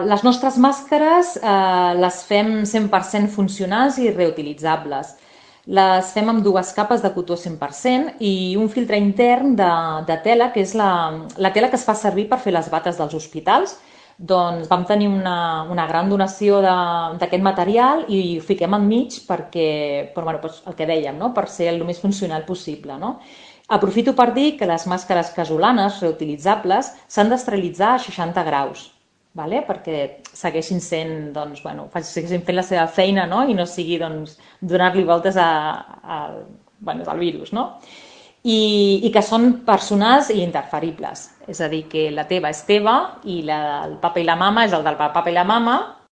Les nostres màscares les fem 100% funcionals i reutilitzables. Les fem amb dues capes de cotó 100% i un filtre intern de tela, que és la tela que es fa servir per fer les bates dels hospitals. Doncs vam tenir una gran donació d'aquest material i ho fiquem enmig perquè, bueno, doncs el que dèiem, no? Per ser el més funcional possible. No? Aprofito per dir que les màscares casolanes reutilitzables s'han d'esterilitzar a 60 graus, vale? Perquè segueixin sent, doncs, bueno, segueixin fent la seva feina, no? I no sigui doncs, donar-li voltes bueno, al virus. No? I que són personals i interferibles. És a dir, que la teva és teva i el papa i la mama és el del papa i la mama